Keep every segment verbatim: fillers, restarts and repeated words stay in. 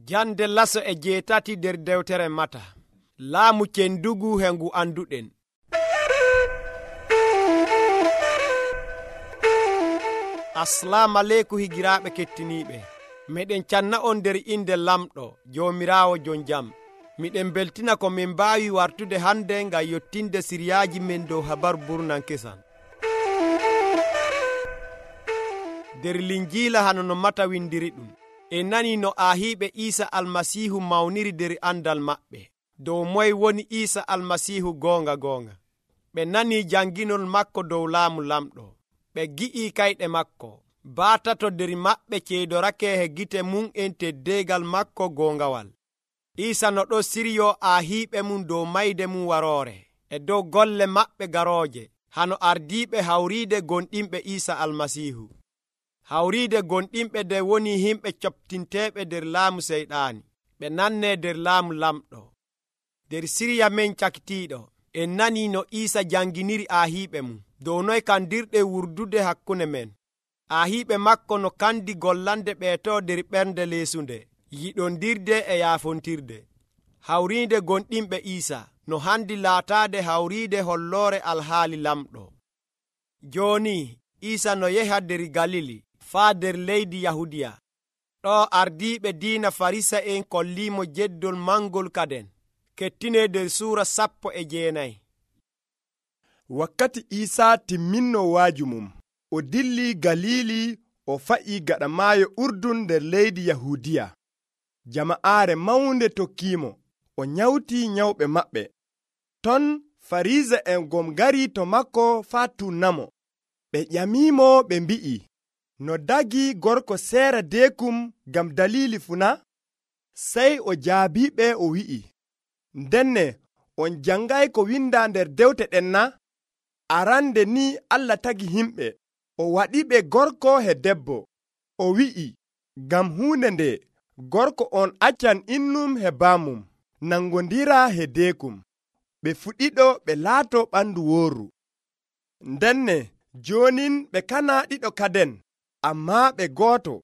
Jande laso e jeetati nder dewtere Mata. Laamu cendugu he ngu anduɗen. Assalamu aleykum higiraaɓe kettiniiɓe. Meɗen canna on nder inde lamɗo Joomiraawo jon jam. Miɗen beltina ko min mbaawi wartude hande ngam yottinde siriyaaji men dow habaru burnan kesan. Nder Linjiila hano no Mata windiri ɗum. En nani no aahiiɓe Iisa Almasiihu mawniri nder andal maɓɓe dow moye woni Iisa Almasiihu goonga goonga. Ɓe nani janginol makko dow laamu lamɗo. Ɓe gi'i kayɗe makko. Baatato nder maɓɓe ceydorake he gite mum en teddeegal makko goongawal. Iisa no ɗo siryo aahiiɓe mum dow mayde mum waroore e dow golle maɓɓe garooje hano ardiiɓe hawriide gonɗinɓe Iisa Almasiihu. Hawriide gonɗinɓe de woni himɓe coptinteeɓe nder laamu seyɗaani. Ɓe nannee nder laamu lamɗo. Nder sirya men cakitiiɗo en nanii no Iisa janginiri aahiiɓe mum dow noye kandirɗe wurdude hakkunde men. Aahiiɓe makko no kandi gollande ɓeeto nder ɓernde leesunde, yiɗondirde e yaafontirde. Hawriide gonɗinɓe Iisa no handi laataade hawriide holloore alhaali lamɗo. Jooni Iisa no yeha nder Galili faa nder leydi Yahudiya. Ɗo ardiiɓe diina Farisa'en kolliimo jeddol mangol kaden. Kettine nder suura sappo e jeenayi. Wakkati Iisaa timminno waaju mum, o dilli Galili o fa'i gaɗa maayo Urdun nder leydi Yahudiya. Jama'aare mawnde tokkiimo, o nyawti nyawɓe maɓɓe. Ton Farisa'en gom ngari to makko faa tunnamo. Ɓe ƴamiimo ɓe mbi'i, no dagi gorko seera deekum ngam dalili funa? Sey o jaabiɓe o wi'i, ndenne on jangay ko winda nder dewte ɗen na? Arande ni Allah tagi himɓe, o waɗiɓe gorko he debbo. O wi'i, ngam huunde nde gorko on accan innum he baamum, nangondira he deekum. Ɓe fuɗiɗo ɓe laato ɓandu wooru. Ndenne joonin ɓe kana ɗiɗo kaden, ammaa ɓe gooto.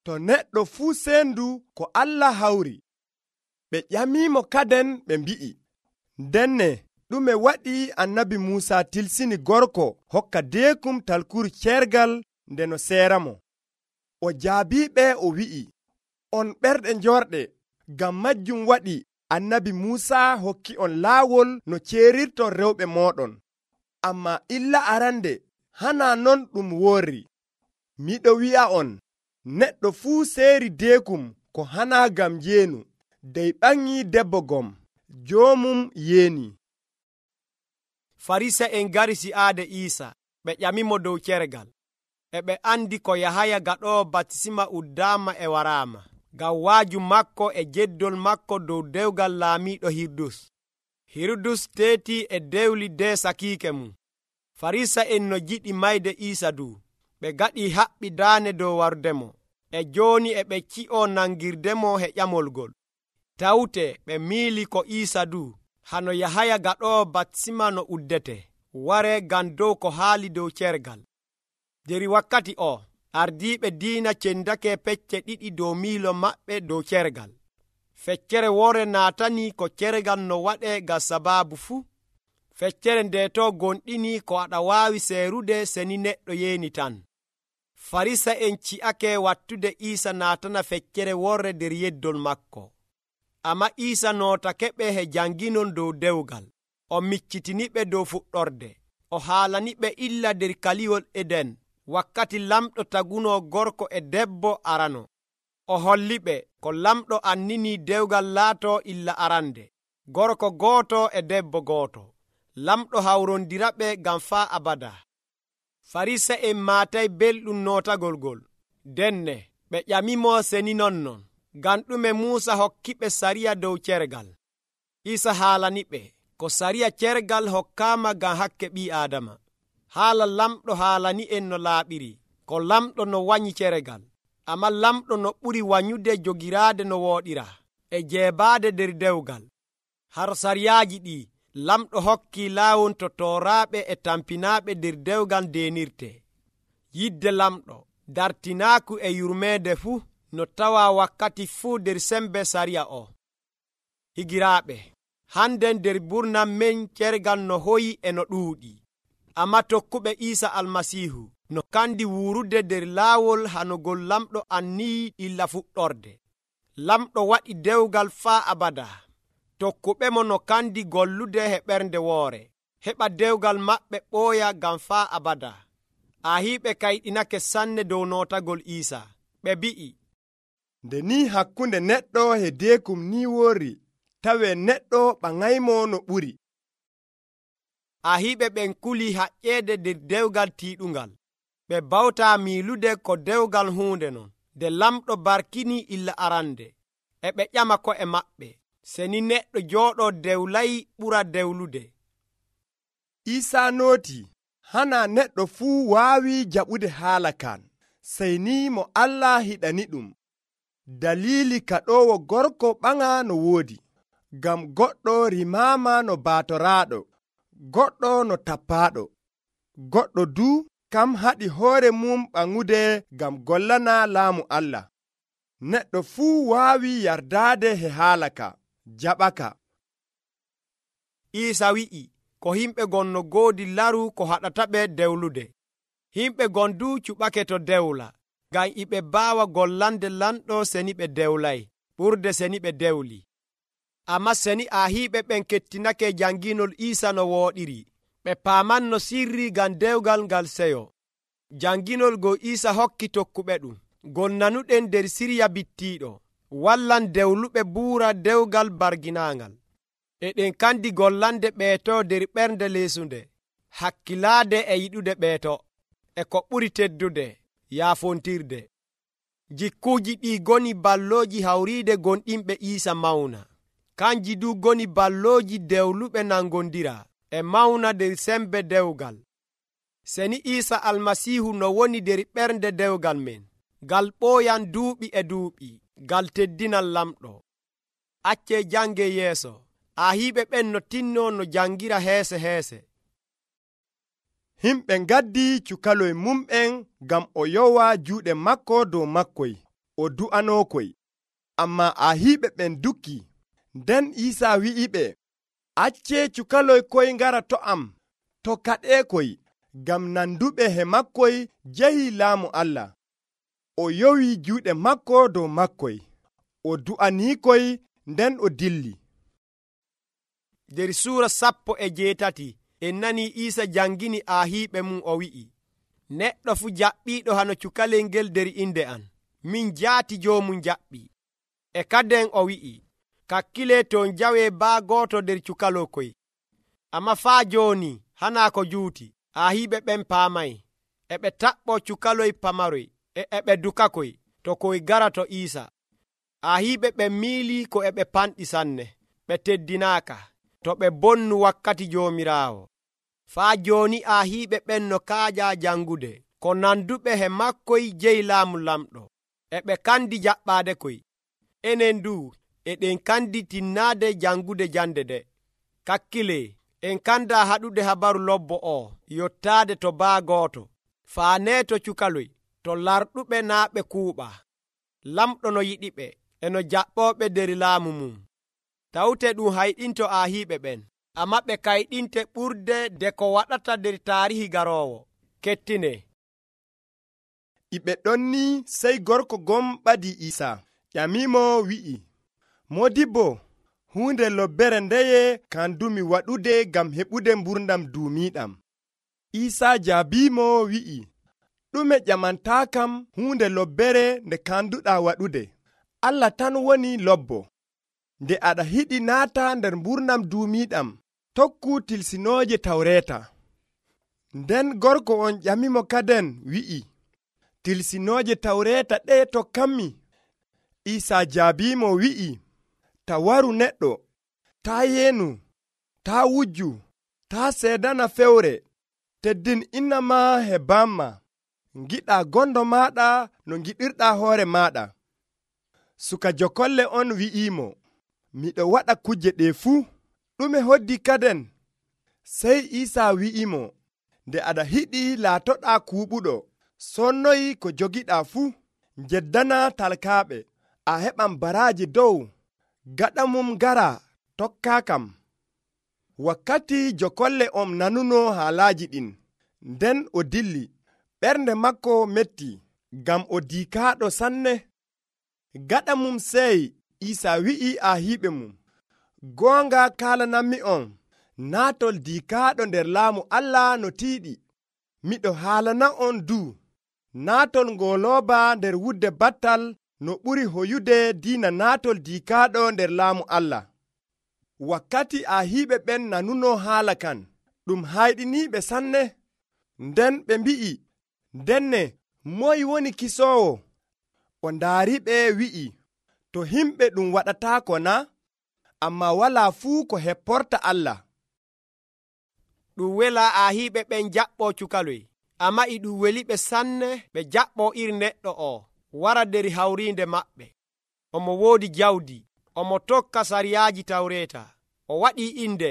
To neɗɗo fuu seendu ko Allah hawri. Ɓe ƴamiimo kaden ɓe mbi'i, ndenne ɗume waɗi annabi Muusa tilsini gorko hokka deekum talkuru cergal nde no seeramo? O jaabiɓe o wi'i, on ɓerɗe njorɗe, ngam majjum waɗi annabi Muusa hokki on laawol no ceerirton rewɓe mooɗon. Ammaa illa arande hana non ɗum worri. Miɗo wi'a on, neɗɗo fuu seeri deekum ko hana ngam jeenu, dey ɓaŋŋi debbo gom, joomum yeeni. Farisa'en ngari si'aade Iisa, ɓe ƴamimo dow cergal. E ɓe andi ko Yahaya gaɗoowo batisima uddaama e waraama, ngam waaju makko e jeddol makko dow dewgal laamiiɗo Hirudus. Hirudus teetii e dewli de sakiike mum. Farisa'en no jiɗi mayde Iisa du, ɓe gaɗi haɓɓi daane dow wardemo. E jooni e ɓe ci'o nangirdemo he ƴamolgol. Tawte ɓe miili ko Iisa du, hano Yahaya gaɗoowo batisima no uddete, ware ngam dow ko haali dow cergal. Nder wakkati o, ardiiɓe diina cendake pecce ɗiɗi dow miilo maɓɓe dow cergal. Feccere wore naatani ko cergal no waɗe ngam sabaabu fuu. Feccere nde to gonɗini ko aɗa waawi seerude seni neɗɗo yeeni tan. Farisa'en ci'ake wattude Iisa naatana feccere worre nder yeddol makko. Amma Iisa nootake ɓe he janginol dow dewgal. O miccitiniɓe dow fuɗɗorde. O haalaniɓe illa nder kaliwol Eden, wakkati lamɗo taguno gorko e debbo arano. O holliɓe ko lamɗo annini dewgal laato illa arande, gorko gooto e debbo gooto. Lamɗo hawrondiraɓe ngam faa abada. Farisa'en maatay belɗum nootagol gol. Denne ɓe ƴamimo seni nonnon, ngam ɗume Muusa hokkiɓe sariya dow cergal. Iisa haalaniɓe ko sariya cergal hokkaama ngam hakke ɓii Aadama. Haala lamɗo haalani en no laaɓiri, ko lamɗo no wanyi cergal. Amma lamɗo no ɓuri wanyude jogiraade no wooɗira, e jeebaade nder dewgal. Har sariyaaji ɗi lamɗo hokki laawol to tooraaɓe e tampinaaɓe nder dewgal deenirte. Yidde lamɗo dartinaaku e yurmeede fuu no tawa wakkati fuu nder sembe sariya o. Higiraaɓe, handen nder burnam men cergal no hoyi e no ɗuuɗi. Amma tokkuɓe Iisa Almasiihu no kandi wuurude nder laawol hanugol lamɗo annii illa fuɗɗorde. Lamɗo waɗi dewgal faa abada. Tokkuɓe mo no kandi gollude he ɓernde woore, heɓa dewgal maɓɓe ɓooya ngam faa abada. Ahiiɓe kayɗinake sanne dow nootagol Iisa. Ɓe mbi'i, nde ni hakkunde neɗɗo e deekum ni woori, tawe neɗɗo ɓaŋaymo no ɓuri. Ahiiɓe ɓen kuli haƴƴeede nder dewgal tiiɗungal. Ɓe bawta miilude ko dewgal huunde non, nde lamɗo barkini illa arande. E ɓe ƴama ko'e maɓɓe, seni neɗɗo jooɗoo dewlay ɓura dewlude. Iisaa nooti, hana neɗɗo fuu waawi jaɓude haala kan, sey ni mo Allah hiɗani ɗum. Daliili kaɗoowo gorko ɓaŋa no woodi, ngam goɗɗo rimaama no baatoraaɗo, goɗɗo no tappaaɗo, goɗɗo du kam haɗi hoore mum ɓaŋude ngam gollana laamu Allah. Neɗɗo fuu waawi yardaade he haala ka, jaɓaka. Iisa wi'i ko himɓe gon no goodi laru ko haɗata ɓe dewlude. Himɓe gon du cuɓake to dewla, ngam iɓe baawa gollande lamɗo seni ɓe dewlay, ɓurde seni ɓe dewli. Amma seni ahiiɓe ɓen kettinake janginol Iisa no wooɗiri, ɓe paamanno sirri ngam dewgal ngal seyo. Janginol go Iisa hokki tokkuɓe ɗum, gol nanuɗen nder sirya bittiiɗo, wallan dewluɓe buura dewgal barginaangal. E ɗen kandi gollande ɓeeto nder ɓernde leesunde, hakkilaade e yiɗude ɓeeto, e ko ɓuri teddude, yaafontirde. Jikkuuji ɗi goni ballooji hawriide gonɗinɓe Iisa mawna. Kanji du goni ballooji dewluɓe nangondira e mawna nder sembe dewgal. Seni Iisa Almasiihu no woni nder ɓernde dewgal men, ngal ɓooyan duuɓi e duuɓi, ngal teddinal lamɗo. Accee jange yeeso, ahiiɓe ɓen no tinno no jangira heese heese. Himɓe ngaddi cukaloy mumɓen ngam o yowa juuɗe makko dow makkoy, o du'anokoy. Amma ahiiɓe ɓen dukki. Nden Iisa wi'iɓe, accee cukaloy koy ngara to am, to kaɗeekoy, ngam nanduɓe he makkoy jehi laamu Allah. O yowi juuɗe makko dow makkoy, o du'aniikoy, nden o dilli. Nder suura sappo e jeetati en nani Iisa jangini ahiiɓe mum o wi'i, neɗɗo fu jaɓɓiiɗo hano cukalel ngel nder inde an, min jaati joomum jaɓɓi. E kaden o wi'i, kakkile ton jawe baa gooto nder cukalokoy. Amma faa jooni hana ko juuti, ahiiɓe ɓen paamay, e ɓe taɓɓo cukaloy pamaroy, e e ɓe dukakoy to koy gara to Iisa. Ahiiɓe ɓen miili ko e ɓe panɗi sanne, ɓe teddinaaka, to ɓe bonnu wakkati Joomiraawo. Faa jooni ahiiɓe ɓen no kaaja jangude, ko nanduɓe he makkoy jeyi laamu lamɗo, e ɓe kandi jaɓɓaade koy. Enen du eɗen kandi tinnaade jangude jande de. Kakkile, en kanda haɗude habaru lobbo o yottaade to baa gooto, faane to cukaloy, to larɗuɓe naa ɓe kuuɓa. Lamɗo no yiɗiɓe, e no jaɓɓooɓe nder laamu mum. Tawte ɗum hayɗinto ahiiɓe ɓen, amma ɓe kayɗinte ɓurde de ko waɗata nder taarihi garoowo. Kettine. Iɓe ɗon ni sey gorko gom ɓadi Iisa, ƴamimo wi'i, Modibbo, huunde lobbere ndeye kandumi waɗude ngam heɓude mburdam duumiiɗam? Iisa jaabimo wi'i, ɗume ƴamantaa kam huunde lobbere nde kanduɗaa waɗude? Allah tan woni lobbo. Nde aɗa hiɗi naata nder mburdam duumiiɗam, tokku tilsinooje Tawreeta. Nden gorko on ƴamimo kaden wi'i, tilsinooje Tawreeta ɗe tokkanmi? Iisa jaabimo wi'i, ta waru neɗɗo, taa yeenu, taa wujju, taa seedana fewre, teddin inna ma he bamma, ngiɗa gondo maɗa no ngiɗirɗa hoore maɗa. Suka jokolle on wi'imo, miɗo waɗa kuje ɗe fuu. Ɗume hoddi kaden? Sey Iisa wi'imo, nde aɗa hiɗi laatoɗa kuuɓuɗo, sonnoyi ko jogiɗa fuu, Njeddana talkaaɓe, a heɓan baraaji dow, gaɗa mum gara tokkaa kam. Wakkati jokolle on nanuno haalaaji ɗin, nden o dilli, ɓernde makko metti, ngam o diikaaɗo sanne. Gaɗa mum sey Iisaa wi'i ahiiɓe mum, goonga kaalananmi on, naatol diikaaɗo nder laamu Allah no tiiɗi. Miɗo haalana on duu, naatol ngolooba nder wudde battal no ɓuri hoyude diina naatol diikaaɗo nder laamu Allah. Wakkati ahiiɓe ɓen nanuno haala kan, ɗum hayɗiniiɓe sanne. Nden ɓe mbi'i, ndenne moy woni kisoowo? O ndaariɓe wi'i, to himɓe ɗum waɗataako na? Ammaa walaa fuu ko hepporta Allah. Ɗum wela ahiiɓe ɓen jaɓɓoo cukaloy, ammaa e ɗum weliɓe sanne ɓe jaɓɓoo iri neɗɗo o wara nder hawriinde maɓɓe. Omo woodi jawdi, omo tokka sariyaaji Tawreeta, o waɗii inde,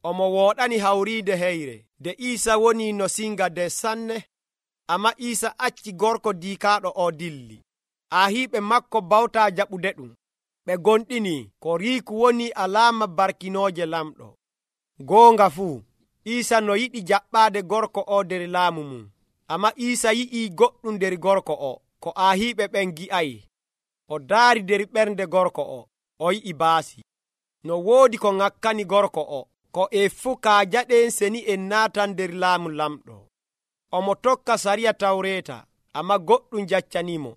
omo wooɗani hawriinde heyre. Nde Iisa woni no singa nde sanne, ammaa Iisa acci gorko diikaaɗo o dilli. Ahiiɓe makko bawtaa jaɓude ɗum. Ɓe gonɗini ko riiku woni alaama barkinooje lamɗo. Goonga fuu, Iisa no yiɗi jaɓɓaade gorko o nder laamu mum, ammaa Iisa yi'ii goɗɗum nder gorko o ko ahiiɓe ɓen gi'ayi. O daari nder ɓernde gorko o, o yi'i baasi. No woodi ko ŋakkani gorko o, ko e fuu kaajaɗen seni en naatan nder laamu lamɗo. Omo tokka sariya Tawreeta, ammaa goɗɗum jaccanimo.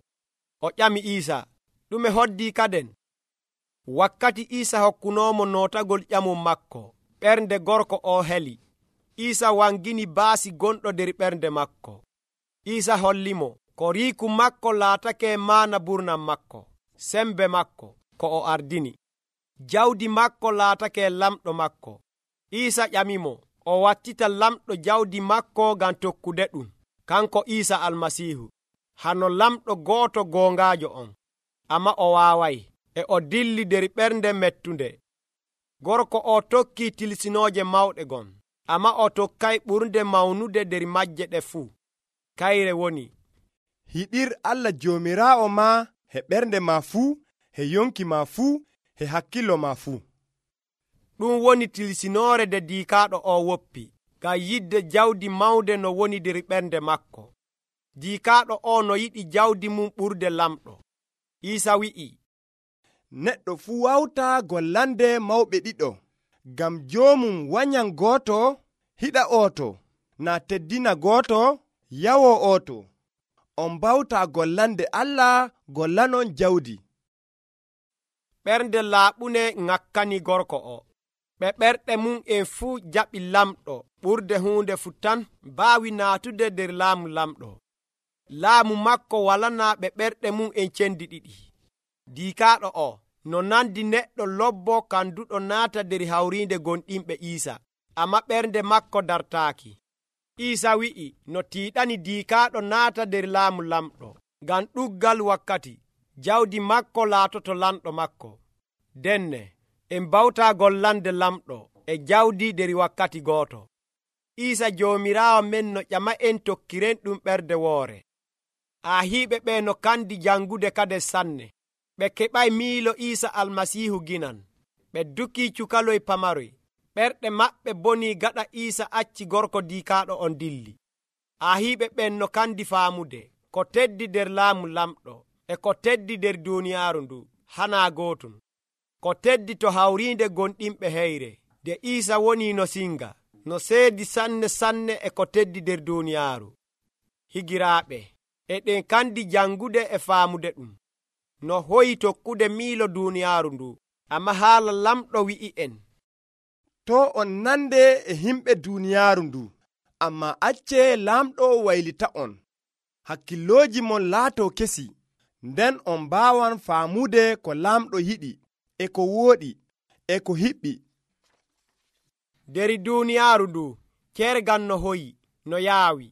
O ƴami Iisa, ɗume hoddii kaden? Wakkati Iisa hokkunoomo nootagol ƴamum makko, ɓernde gorko o heli. Iisa wangini baasi gonɗo nder ɓernde makko. Iisa hollimo ko riiku makko laatake maana burnam makko, sembe makko ko o ardini. Jawdi makko laatake lamɗo makko. Iisa ƴamimo o wattita lamɗo jawdi makko ngam tokkude ɗum, kanko Iisa Almasiihu. Hano lamɗo gooto goongaajo on, ammaa o waaway, e o dilli nder ɓernde mettunde. Gorko o tokkii tilsinooje mawɗe gon, ammaa o tokkay ɓurnde mawnude nder majje ɗe fuu. Kayre woni, hiɗir Allah Joomiraawo ma he ɓernde ma fuu, he yonki ma fuu, he hakkilo ma fuu. Ɗum woni tilsinoore nde diikaaɗo o woppi, ngam yidde jawdi mawnde no woni nder ɓernde makko. Diikaaɗo o no yiɗi jawdi mum ɓurde lamɗo. Iisa wi'i, neɗɗo fuu wawtaa gollande mawɓe ɗiɗo, ngam joomum wanyan gooto, hiɗa ooto, naa teddina gooto, yawo ooto. On mbawtaa gollande Allah, gollanon jawdi. Ɓernde laaɓune ŋakkani gorko o. Ɓe ɓerɗe mum en fuu jaɓi lamɗo ɓurde huunde fuu tan mbaawi naatude nder laamu lamɗo. Laamu makko walanaa ɓe ɓerɗe mum en cendi ɗiɗi. Diikaaɗo o no nandi neɗɗo lobbo kanduɗo naata nder hawriinde gonɗinɓe Iisa, ammaa ɓernde makko dartaaki. Iisa wi'i no tiiɗani diikaaɗo naata nder laamu lamɗo, ngam ɗuggal wakkati jawdi makko laatoto lamɗo makko. Denne en mbawtaa gollande lamɗo e jawdi nder wakkati gooto. Iisa Joomiraawo men no ƴama en tokkiren ɗum ɓernde woore. Ahiiɓe ɓe no kandi jangude kade sanne. Ɓe keɓay miilo Iisa Almasiihu ginan. Ɓe dukii cukaloy pamaroy. Ɓerɗe maɓɓe bonii gaɗa Iisa acci gorko diikaaɗo on dilli. Ahiiɓe ɓen no kandi faamude ko teddi nder laamu lamɗo e ko teddi nder duuniyaaru ndu hanaa gootum. Ko teddi to hawriinde gonɗinɓe heyre, de Iisa woni no singa, no seedi sanne sanne e ko teddi nder duuniyaaru. Higiraaɓe, eɗen kandi jangude e faamude ɗum. No hoyi tokkude miilo duuniyaaru ndu, amma haala lamɗo wi'i en, to on nande e himɓe duuniyaaru ndu, amma acce laamɗo waylita on. Hakkillooji mon laato kesi, nden on mbaawan faamude ko laamɗo yiɗi, e ko wooɗi, e ko hiɓɓi. Nder duuniyaaru ndu, kergal no hoyi, no yaawi,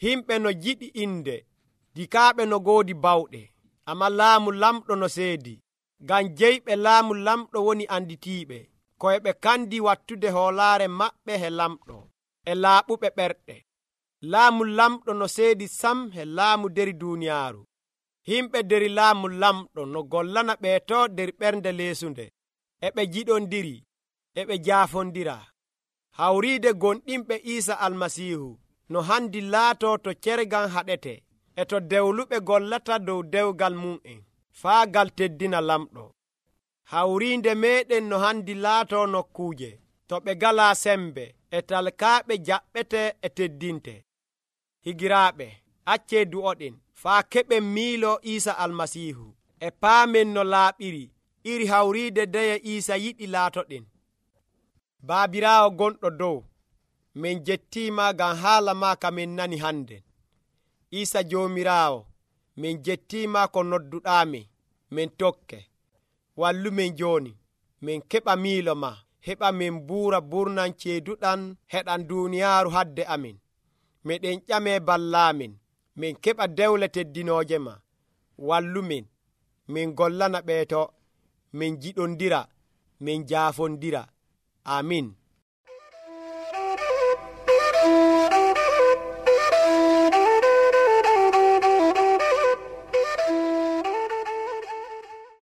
himɓe no jiɗi inde, dikaaɓe no goodi bawɗe, amma laamu lamɗo no seedi, ngam jeyɓe laamu lamɗo woni anditiiɓe, koye ɓe kandi wattude hoolaare maɓɓe he lamɗo, e laaɓuɓe ɓerɗe. Laamu lamɗo no seedi sam he laamu nder duuniyaaru. himɓe der laamu lamɗo no gollana ɓeeto der ɓernde leesunde, e ɓe jiɗondiri, e ɓe jaafondira. Hawriide gonɗinɓe Iisa Almasiihu no handi laato to cergan haɗete, e to dewluɓe gollata dow dewgal mum'en, faa gal teddina lamɗo. Hawriinde meeɗen no handi laato nokkuuje to ɓe galaa sembe, e talkaaɓe jaɓɓete e teddinte. Higiraaɓe, accee du'oɗen faa keɓen miilo Iisa Almasiihu, e paamen no laaɓiri iri hawriide ndeye Iisa yiɗi laatoɗen. Baabiraawo gonɗo dow, min jettiima ngam haala maa ka min nani hande. Iisa Joomiraawo, min jettiima ko nodduɗaamin min tokke. Wallumin jooni min keɓa miilo maa, heɓa min buura burnan ceeduɗan heɗan duuniyaaru hadde amin. Meɗen ƴamee ballaamin, min keɓa dewle teddinooje maa. Wallumin, min gollana ɓeeto, min jiɗondira, min jaafondira. Amin.